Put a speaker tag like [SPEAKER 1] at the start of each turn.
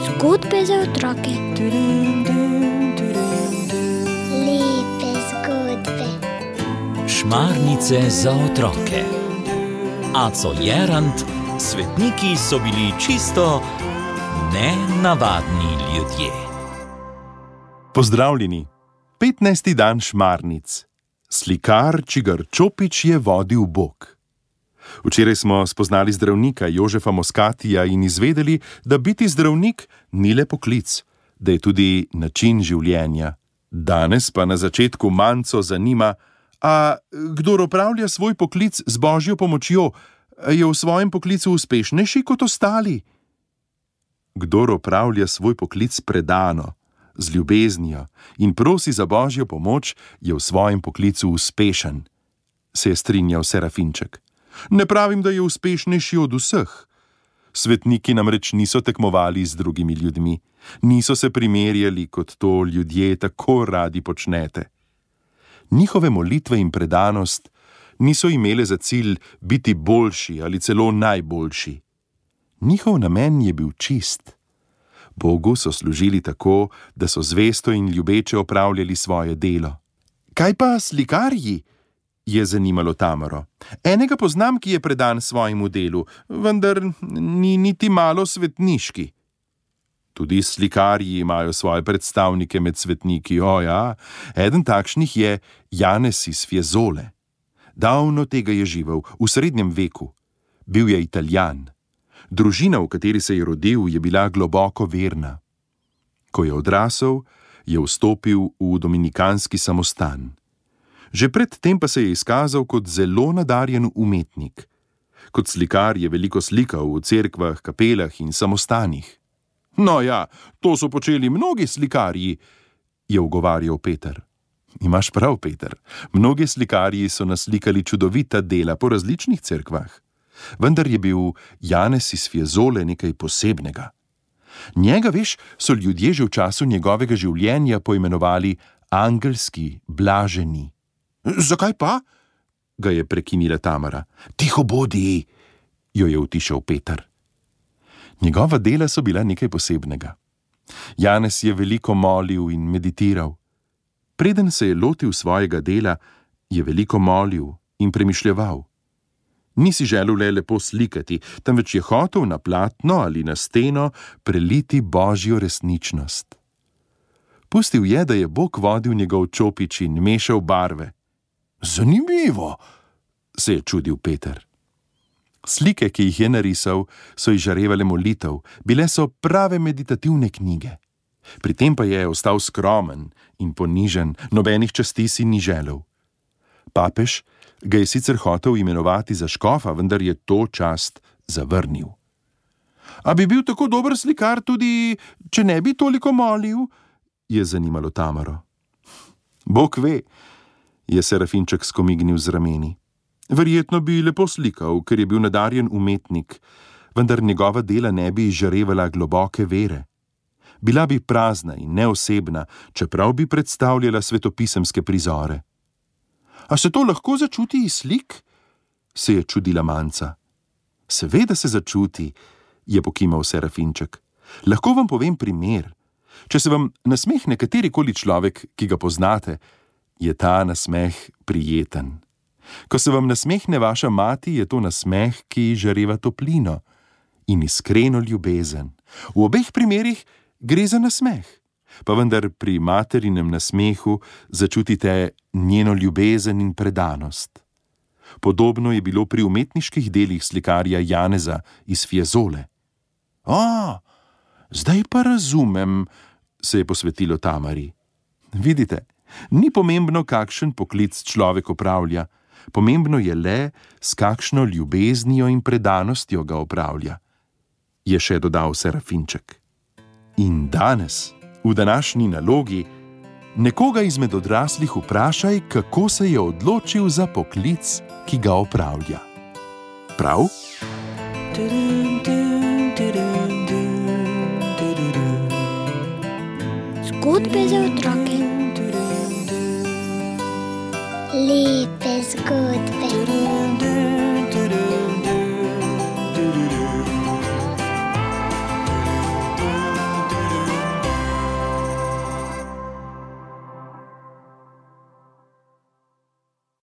[SPEAKER 1] Zgodbe za otroke. Lepe zgodbe.
[SPEAKER 2] Šmarnice za otroke. Aco Jerant, svetniki so bili čisto nenavadni ljudje.
[SPEAKER 3] Pozdravljeni! 15. dan šmarnic. Slikar, čigar čopič je vodil Bog. Včeraj smo spoznali zdravnika Jožefa Moskatija in izvedeli, da biti zdravnik ni le poklic, da je tudi način življenja. Danes pa na začetku Manco zanima, a kdor opravlja svoj poklic z Božjo pomočjo, je v svojem poklicu uspešnejši kot ostali? Kdor opravlja svoj poklic predano, z ljubeznijo in prosi za Božjo pomoč, je v svojem poklicu uspešen, se je strinjal Serafinček. Ne pravim, da je uspešnejši od vseh. Svetniki namreč niso tekmovali z drugimi ljudmi, niso se primerjali, kot to ljudje tako radi počnete. Njihove molitve in predanost niso imele za cilj biti boljši ali celo najboljši. Njihov namen je bil čist. Bogu so služili tako, da so zvesto in ljubeče opravljali svoje delo. Kaj pa slikarji? Je zanimalo Tamaro. Enega poznam, ki je predan svojemu delu, vendar ni niti malo svetniški. Tudi slikarji imajo svoje predstavnike med svetniki, ja. Eden takšnih je Janez iz Fiesole. Davno tega je živel, v srednjem veku. Bil je Italijan. Družina, v kateri se je rodil, je bila globoko verna. Ko je odrasel, je vstopil v dominikanski samostan. Že pred tem pa se je izkazal kot zelo nadarjen umetnik. Kot slikar je veliko slikal v cerkvah, kapelah in samostanih. No ja, to so počeli mnogi slikarji, je ugovarjal Peter. Imaš prav, Peter. Mnogi slikarji so naslikali čudovita dela po različnih cerkvah. Vendar je bil Janez iz Fiesole nekaj posebnega. Njega, veš, so ljudje že v času njegovega življenja poimenovali angelski, blaženi. Zakaj pa? Ga je prekinila Tamara. Tiho bodi, jo je utišal Peter. Njegova dela so bila nekaj posebnega. Janez je veliko molil in meditiral. Preden se je lotil svojega dela, je veliko molil in premišljeval. Ni si želel le lepo slikati, temveč je hotel na platno ali na steno preliti Božjo resničnost. Pustil je, da je Bog vodil njegov čopič in mešal barve. Zanimivo, se je čudil Peter. Slike, ki jih je narisal, so izžarevale molitev, bile so prave meditativne knjige. Pri tem pa je ostal skromen in ponižen, nobenih časti si ni želel. Papež ga je sicer hotel imenovati za škofa, vendar je to čast zavrnil. A bi bil tako dober slikar tudi, če ne bi toliko molil? Je zanimalo Tamaro. Bog ve, je Serafinček skomignil z rameni. Verjetno bi lepo slikal, ker je bil nadarjen umetnik, vendar njegova dela ne bi izžarevala globoke vere. Bila bi prazna in neosebna, čeprav bi predstavljala svetopisemske prizore. A se to lahko začuti iz slik? Se je čudila Manca. Seveda se začuti, je pokimal Serafinček. Lahko vam povem primer. Če se vam nasmehne katerikoli človek, ki ga poznate, je ta nasmeh prijeten. Ko se vam nasmehne vaša mati, je to nasmeh, ki žareva toplino in iskreno ljubezen. V obeh primerih gre za nasmeh, pa vendar pri materinem nasmehu začutite njeno ljubezen in predanost. Podobno je bilo pri umetniških delih slikarja Janeza iz Fiesole. Zdaj pa razumem, se je posvetilo Tamari. Vidite, ni pomembno, kakšen poklic človek opravlja, pomembno je le, s kakšno ljubeznijo in predanostjo ga opravlja, je še dodal Serafinček. In danes, v današnji nalogi, nekoga izmed odraslih vprašaj, kako se je odločil za poklic, ki ga opravlja. Prav?
[SPEAKER 1] Zgodbe za otroke. Lepe zgodbe.